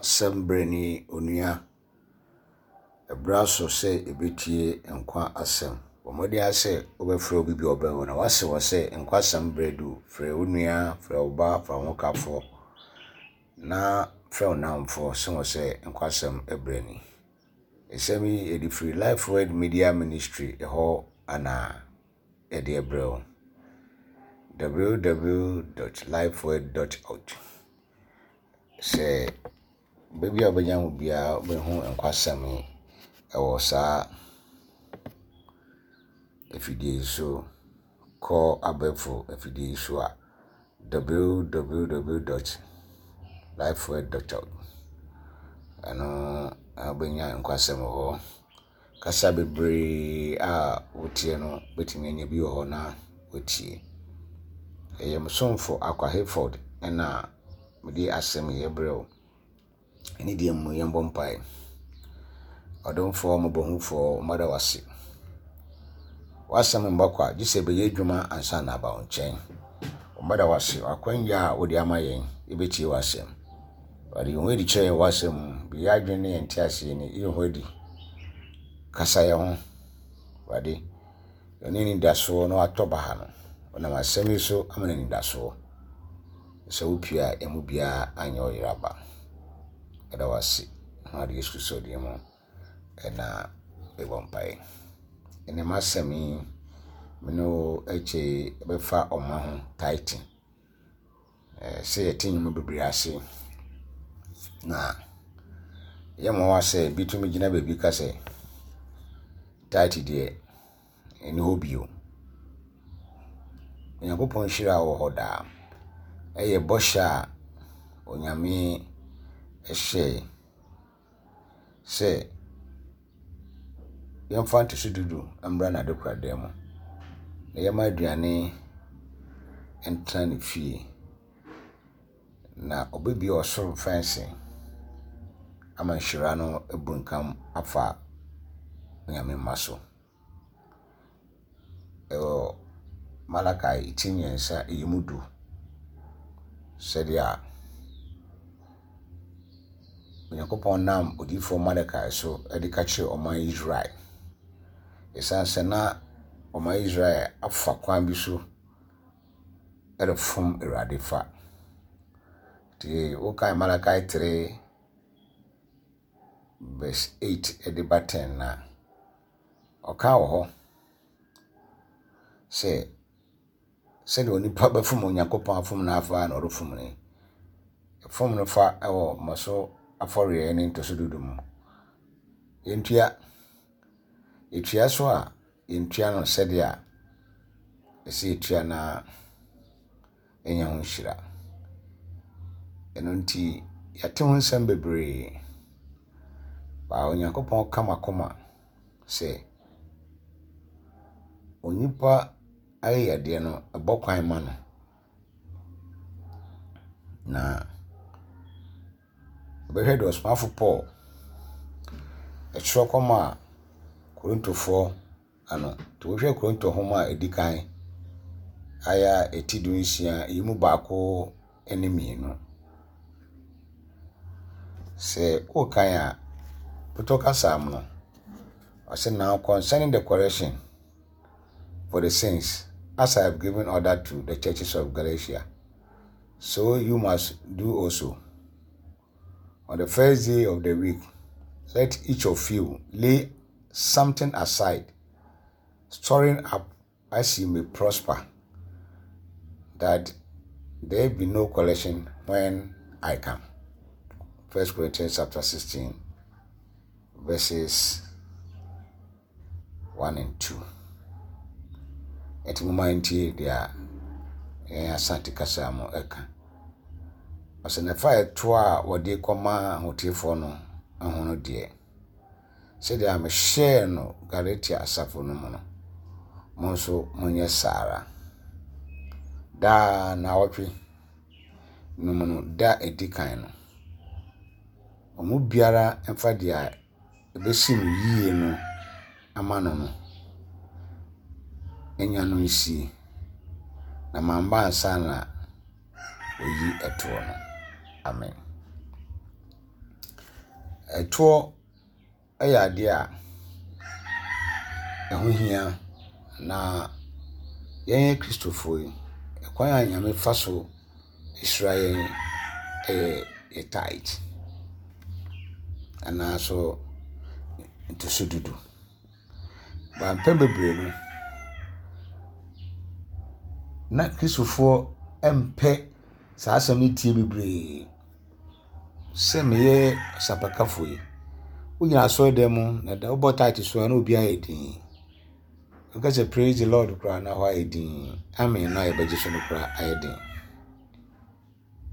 Asɛm berɛ ni onua. Ɛberɛ aso sɛ yɛbɛtie nkwa asɛm. Bɔ mmɔden ara sɛ wobɛfrɛ obi bi a ɔbɛn wo na woase wɔ sɛ nkwa asɛm berɛ du. Frɛ wo nua, frɛ wo ba, frɛ wo hokafoɔ na frɛ wo nnamfoɔ se wɔ sɛ nkwa asɛm berɛ ni. Nsɛm yi yɛde firi Life Word Media Ministry hɔ ana yɛde ɛbrɛ wo. www.lifeword.org Sɛ baabi a wobɛnya ho biara wobɛhu nkwasɛm yi wɔ saa afidie yi so. Kɔ abɛɛfo afidie yi so a, www.lifeword.org. Ɛno wobɛnya nkwasɛm wɔ hɔ. Kasa bebree a woteɛ no wobɛtumi anya bi wɔ hɔ na woatie. Ɛyɛ me somfo Akwa Hayford na mede asɛm yi rebrɛ wo. Ɛne deɛ mu yɛmbɔ mpae. Ɔdomfoɔ mmɔbɔhufoɔ, mada wo ase. W'asɛm mma kwa, gye sɛ ɛbɛyɛ adwuma ansa na aba wo nkyɛn. Mada wo ase, w'akwanya a wode ama yɛn, yɛbɛtie w'asɛm. Awurade, yi wo ho adi kyerɛ yɛn w'asɛm mu. Bi yɛn adwene ne yɛn nteaseɛ ni, yi wo ho adi. Kasa yɛn ho. Awurade, yɛne anidasoɔ na watɔ baha no. Ɔnam asɛm yi so ama no anidasoɔ. Sɛ wopue a, yɛn mu biara anyɛ ɔyera ba. Yɛda wo ase. Ho ade Yesu Kristo din mu ɛna yɛbɔ mpaeɛ. Ɛnɛ m'asɛm yi, me ne wo ɛkyɛ bɛfa ɔma ho tithing. Sɛ yɛte nnwuma bebree ase, na ɛyɛ nwanwa sɛ bi tumi gyina baabi ka sɛ tithe deɛ, ɛnni hɔ bio. Onyankopɔn nhyira wɔ hɔ daa. Ɛyɛ bɔhyɛ a Onyame hyɛe. sɛ yɛmfa ntoso du du mmra n'adekoradan mu, na yɛmma aduane ntena ne fie, na ɔbɛbue ɔsoro mfɛnse ama nhyira no abunkam afa Onyame mma so. Ɛwɔ Malakai ti mmiɛnsa yi mu du sɛdeɛ Onyankopɔn nam odiyifoɔ Malakai so de ka kyerɛɛ ɔman Israel. Ɛsiane sɛ na ɔman Israel afa kwan bi so refom Awurade fa. Nti wokae Malakai 3 verse 8 de ba 10 no a, Ɔka wɔ hɔ sɛ, sɛdeɛ onipa bɛfom Onyankopɔn afom no afa na ɔrefom no yi. Fom no fa wɔ mmɔso afɔreɛ ne ntoso dudu mu. Yɛntua. Yɛtua so a, yɛntua no sɛdeɛ ɛsɛ yɛtua no ara. anya ho nhyira. Ɛno nti, yɛate ho nsɛm bebree. But Onyankopɔn ka m'akoma sɛ onipa ayɛyɛdeɛ no, ɛbɔ kwan ma no. Na Bɛhwɛ deɛ ɔsomafo Paul twerɛ kɔmaa Korintofoɔ ano. Nti wohwɛ Korinto nwoma a ɛdi kan ayɛ a ɛti 16 yi mu baako ne mmienu. Sɛ wokan a, Pɔtɔ kasa mu no, ɔsɛ now concerning the correction for the sins, as I have given order to the churches of Galatia, so you must do also. On the first day of the week, let each of you lay something aside, storing up as you may prosper, that there be no collection when I come. First Corinthians chapter 16, verses 1 and 2. Ɛti mo ma ntie deɛ yɛn Asante kasa mu ɛka. Ɔsɛ na fa ɛtoɔ a wɔde kɔma ahotefoɔ no ho no deɛ, sɛdeɛ mehyɛɛ no Galatia asafo no mu no, mo nso monyɛ saa ara. Daa naawɔtwe no mu no, da a ɛdi kan no, wɔn mu biara mfa deɛ ɛbɛsi no yie no ama no no, anya no nsie, na mamba ansa na oyi ɛtoɔ no. Amen. Ɛtoɔ yɛ adeɛ a ɛho hia na yɛn Akristofoɔ yi, kwan a Nyame fa so hyira yɛn yɛ yɛn tithe anaa nso ntoso du du. Na mpɛn bebree no, na Kristofoɔ mpɛ saa asɛm no tie bebree. Sɛ meyɛ ɔsɛmpakafo yi, wogyina asɔredan mu na da wobɔ tithe so a na obiara ayɛ dinn. Woka sɛ praise the Lord koraa na hɔ ayɛ dinn. Amen no a yɛbɛgye so no koraa ayɛ den.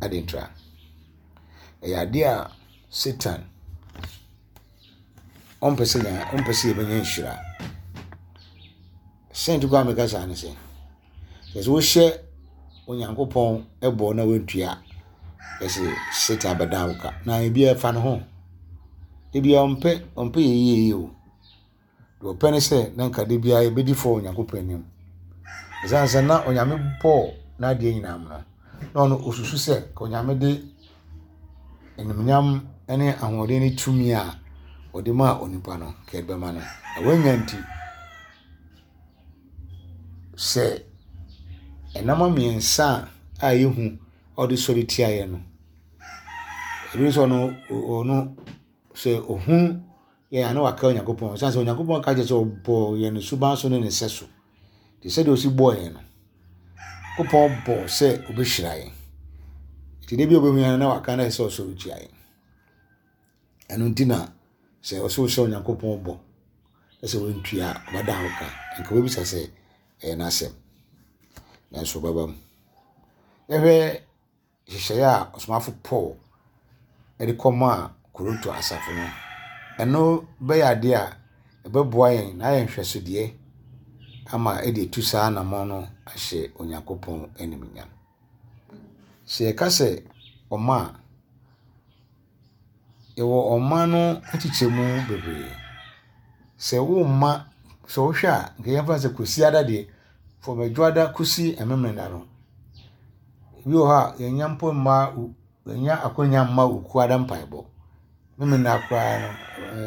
Adɛn ntia? Ɛyɛ adeɛ a Satan ɔmpɛ sɛ yɛn ɔmpɛ sɛ yɛbɛnya nhyira. Sɛ nti koraa meka saa ne sɛ, sɛ sɛ wohyɛ Onyankopɔn bɔ na woantua a, ɛsɛ Satan bɛdan wo ka. Na ebi ɛfa ne ho. Ebi ɔmpɛ ɔmpɛ yɛ yie yie o. Deɛ ɔpɛ ne sɛ na nka da biara yɛbɛdi fɔ wɔ Onyankopɔn anim. Ɛsiane sɛ na Onyame bɔɔ n'adeɛ nyinaa mu no, na ɔno ɔsusu sɛ ka Onyame de animuonyam ne ahoɔden ne tumi a ɔde maa onipa no, ka ɛde bɛma no. Na wanya nti, sɛ nneɛma mmiɛnsa a ɛyɛ hu a ɔde sɔre tiaeɛ no, ebi nso ɔno ɔno sɛ ɔhu yɛn a na waka Onyankopɔn. Ɛsiane sɛ Onyankopɔn ka kyerɛ sɛ ɔbɔɔ yɛn ne suban so ne ne sɛso. Te sɛdeɛ ɔsi bɔɔ yɛn no, Onyankopɔn bɔɔ sɛ ɔbɛhyira yɛn. Nti da bi a ɔbɛhu yɛn no na waka na ɛsɛ sɛ ɔsɔre tia yɛn. Ɛno nti na sɛ ɔsɛ wohyɛ Onyankopɔn bɔ na sɛ wantua a ɔbɛda wo ka. Nka wobɛbisa sɛ ɛyɛ n'asɛm. Nanso ɔbɛba mu. Yɛhwɛ nhyehyɛe a ɔsomafo Paul de kɔmaa Korinto asafo no, ɛno bɛyɛ ade a ɛbɛboa yɛn na ayɛ nhwɛsodeɛ ama ɛde atu saa anammɔn no ahyɛ Onyankopɔn animuonyam. Sɛ yɛka sɛ ɔma a, yɛwɔ ɔma no nkyekyɛmu bebree. Sɛ womma, sɛ wohwɛ a, nka yɛmfa no sɛ Kwasiada deɛ, from Adwoada kɔsi Memeneda no, ebi wɔ hɔ a yɛnnya mpo mma yɛnnya akwannya mma Okuada mpaebɔ. Memeneda koraa no,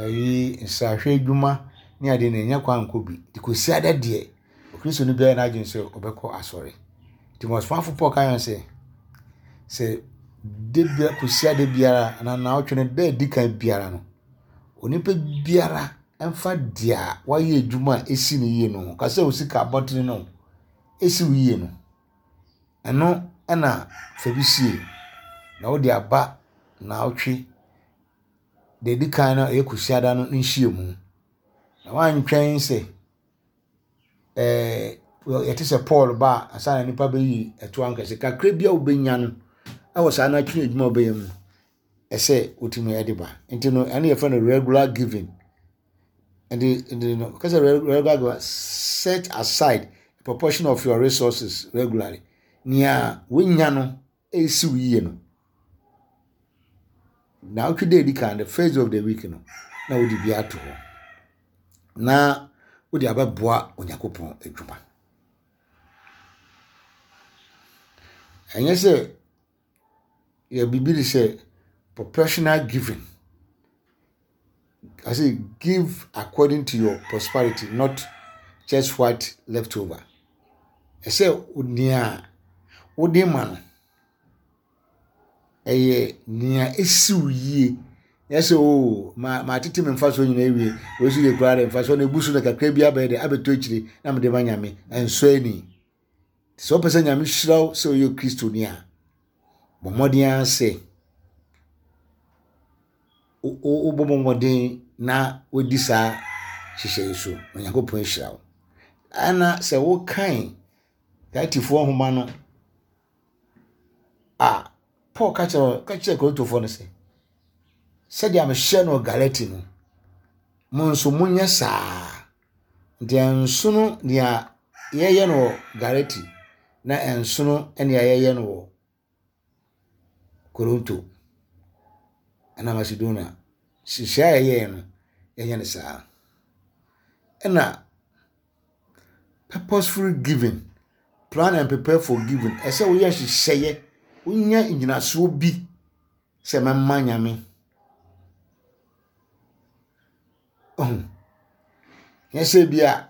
ayi nsrahwɛ adwuma ne adeɛ no yɛnnya kwan nkɔ bi. Nti Kwasiada deɛ, Okristoni biara yɛ n'adwene sɛ ɔbɛkɔ asɔre. Nti ɔsomafo Paul ka yɛn sɛ, sɛ da bia Kwasiada biara anaa naawɔtwe no da a ɛdi kan biara no, onipa biara mfa deɛ wayɛ adwuma a ɛsi no yie no ho. Ka sɛ wo sika abɔtene no ɛsi wo yie no, ɛno na fa bi sie na wode aba naawɔtwe deɛ ɛdi kan no a ɛyɛ Kwasiada no nhyiamu. Na woantwɛn sɛ ɛɛ yɛte sɛ Paul ba a ansa na nipa bɛyi ɛto ankɛse kakra bi a wobɛnya no ɛwɔ saa no atwe adwuma a wobɛyɛ mu ɛsɛ wotumi de ba nti no ɛno yɛfrɛ no regular giving nti nti no kɛsɛ regular giving set aside a proportion of your resources regularly nea wonya no ɛresi wo yie no naawɔtwe da edi kan the first day of the week no na wode bi ato hɔ na wode abɛboa Onyankopɔn adwuma ɛnyɛ sɛ yɛ biribi te sɛ proportional giving. I say give according to your prosperity, not just what left over. Ɛsɛ nea wode ma no, ɛyɛ nea esi wo yie. Nyɛ sɛ oo ma matete me mfasoɔ nyinaa awie, wei nso deɛ koraa deɛ mfasoɔ no ebu so na kakra bi abɛyɛ dɛ abɛtɔ akyire na mede ma Nyame. Ɛnsɔ ani. Sɛ wopɛ sɛ Nyame hyira wo sɛ woyɛ Kristoni a, bɔ mmɔden ara sɛ wobɛbɔ mmɔden na woadi saa nhyehyɛe yi so na Onyankopɔn ahyira wo. Ɛna sɛ wokan Galatifoɔ nhoma no a, Paul ka kyerɛ ka kyerɛ Korintofoɔ no sɛ, sɛdeɛ mehyɛ no Galati no, mo nso monyɛ saa. Nti ɛnsono nea yɛyɛ no wɔ Galati na ɛnsono nea yɛyɛ no wɔ Korinto anaa Macedonia. Nhyehyɛe a yɛyɛe no, yɛnyɛ no saa. Ɛna purposeful giving, plan and prepare for giving. Ɛsɛ woyɛ nhyehyɛeɛ, wonya nnyinasoɔ bi sɛ mɛma Nyame. Ohu. Nyɛ sɛ bi a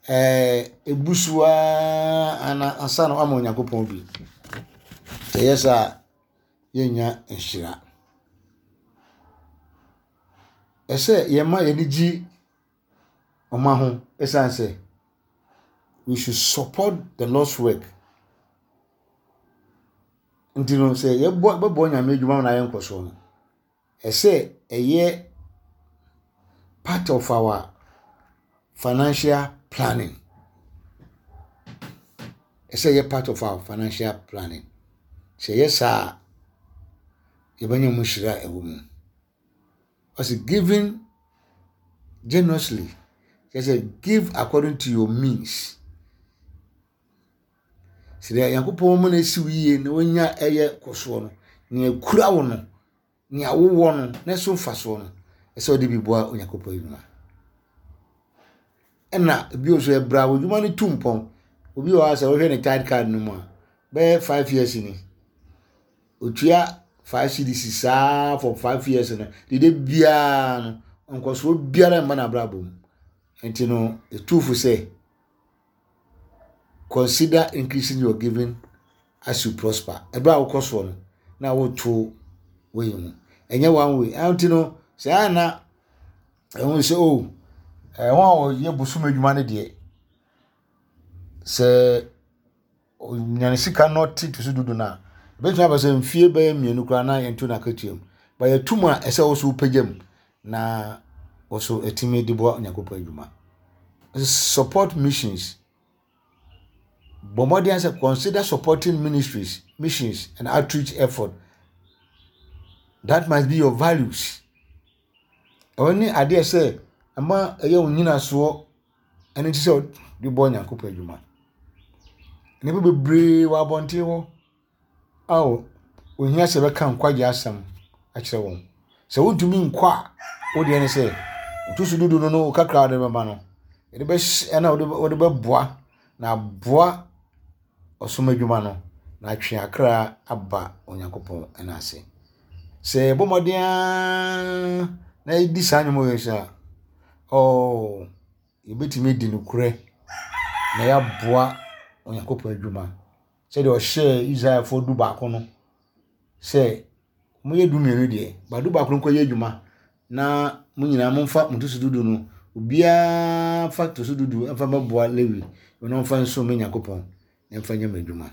ɛɛ ebu so ara ana ansa na wama Onyankopɔn bi. Sɛ ɛyɛ saa a, yɛnnya nhyira. Ɛsɛ yɛma yɛn ani gye ɔma ho ɛsiane sɛ we should support the Lord's work. Nti no sɛ yɛbɔ bɛbɔ Nyame adwuma ma no ayɛ nkɔsoɔ no, ɛsɛ ɛyɛ part of our financial planning. Ɛsɛ ɛyɛ part of our financial planning. Sɛ ɛyɛ saa a, yɛbɛnya mu nhyira a ɛwɔ mu. Ɔse giving generously, kyerɛ sɛ give according to your means. Sɛ deɛ Nyankopɔn ma no asi wo yie na wonya ɛyɛ kɔsoɔ no, nea ekura wo no, nea wowɔ no, na ɛso mfasoɔ no, ɛsɛ wode bi boa Onyankopɔn adwuma. Ɛna bio nso ɛbrɛ a w'adwuma no tu mpɔn. Obi wɔ hɔ a sɛ wohwɛ ne tithe card no mu a, bɛyɛ 5 years ni. Otua 5 cedis saa for 5 years no, dede biara no, nkɔsoɔ biara mma n'abrabɔ mu. Nti no, etu fo sɛ consider increasing your giving as you prosper. Ɛberɛ a wokɔ soɔ no, na woto wei mu. Ɛnyɛ one way. Ɛno nti no, sɛ ɛyɛ na ɛho sɛ o, ɛho a wɔyɛ bosom adwuma no deɛ, sɛ ɔnya ne sika na ɔte to so dudu no a, ɛbɛtumi aba sɛ mfie bɛyɛ 2 koraa na yɛnto no akatua mu. Ba yɛto mu a, ɛsɛ wo so wopagya mu na wo so ɛtumi de boa Onyankopɔn adwuma. Support missions. Bɔ mmɔden sɛ consider supporting ministries, missions and outreach effort. That must be your values. Ɛno ne adeɛ sɛ ɛma ɛyɛ wo nyinasoɔ ɛno nti sɛ wode bɔ Onyankopɔn adwuma. Nnipa bebree wɔ abɔnten hɔ a ohia sɛ bɛka nkwagye asɛm akyerɛ wɔn. Sɛ wontumi nkɔ a, wo deɛ ne sɛ woto so dudu no no wo kakra a wode bɛma no, yɛde bɛhyɛ ɛna wode wode bɛboa na aboa ɔsom adwuma no na atwe akra aba Onyankopɔn ɛna ase. Sɛ yɛbɔ mmɔden ara na yɛdi saa nnwuma wei so a, oh, yɛbɛtumi adi nokorɛ na yɛaboa Onyankopɔn adwuma sɛdeɛ ɔhyɛɛ Israelfoɔ 11 no sɛ moyɛ 12 deɛ, ba 11 no nkɔyɛ adwuma na mo nyinaa momfa mo ntoso dudu no, obiara mfa ntoso dudu mfa mmɛboa Lewi na ɔmfa nsom me Nyankopɔn na mfa nyɛ m'adwuma.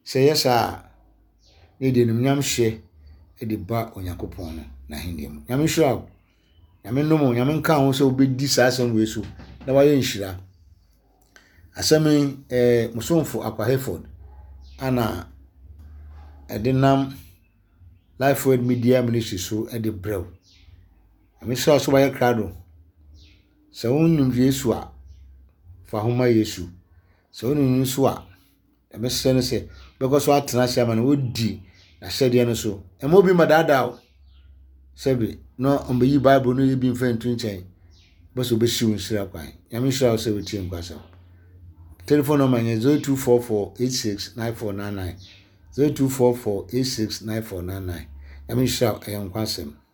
Sɛ ɛyɛ saa a, na yɛde animuonyam hyɛ de ba Onyankopɔn no n'ahenni mu. Nyame nhyira wo. Nyame nnom wo. Nyame nka ho sɛ wobɛdi saa asɛm wei so na wayɛ nhyira. Asɛm yi, mo somfo Akwa Hayford ana ɛde nam Life Word Media Ministry so de brɛ wo. Nyame hyira wo sɛ wayɛ krado. Sɛ wonnim Yesu a, fa ho ma Yesu. Sɛ wonim no nso a, Deɛ mɛsrɛ ne sɛ wobɛkɔ so atena ase ama no wodi n'ahyɛdeɛ no so. Mma obi mmɛdaadaa wo sɛbe na ɔmbɛyi Bible no yi bi mfa nto nkyɛn bɛ sɛ ɔbɛsi wo nhyira kwan. Nyame nhyira wo sɛ wotie nkwasɛm. Telephone number nyɛ 0244 86 9499 0244 86 9499. Nyame nhyira wo, ɛyɛ nkwasɛm.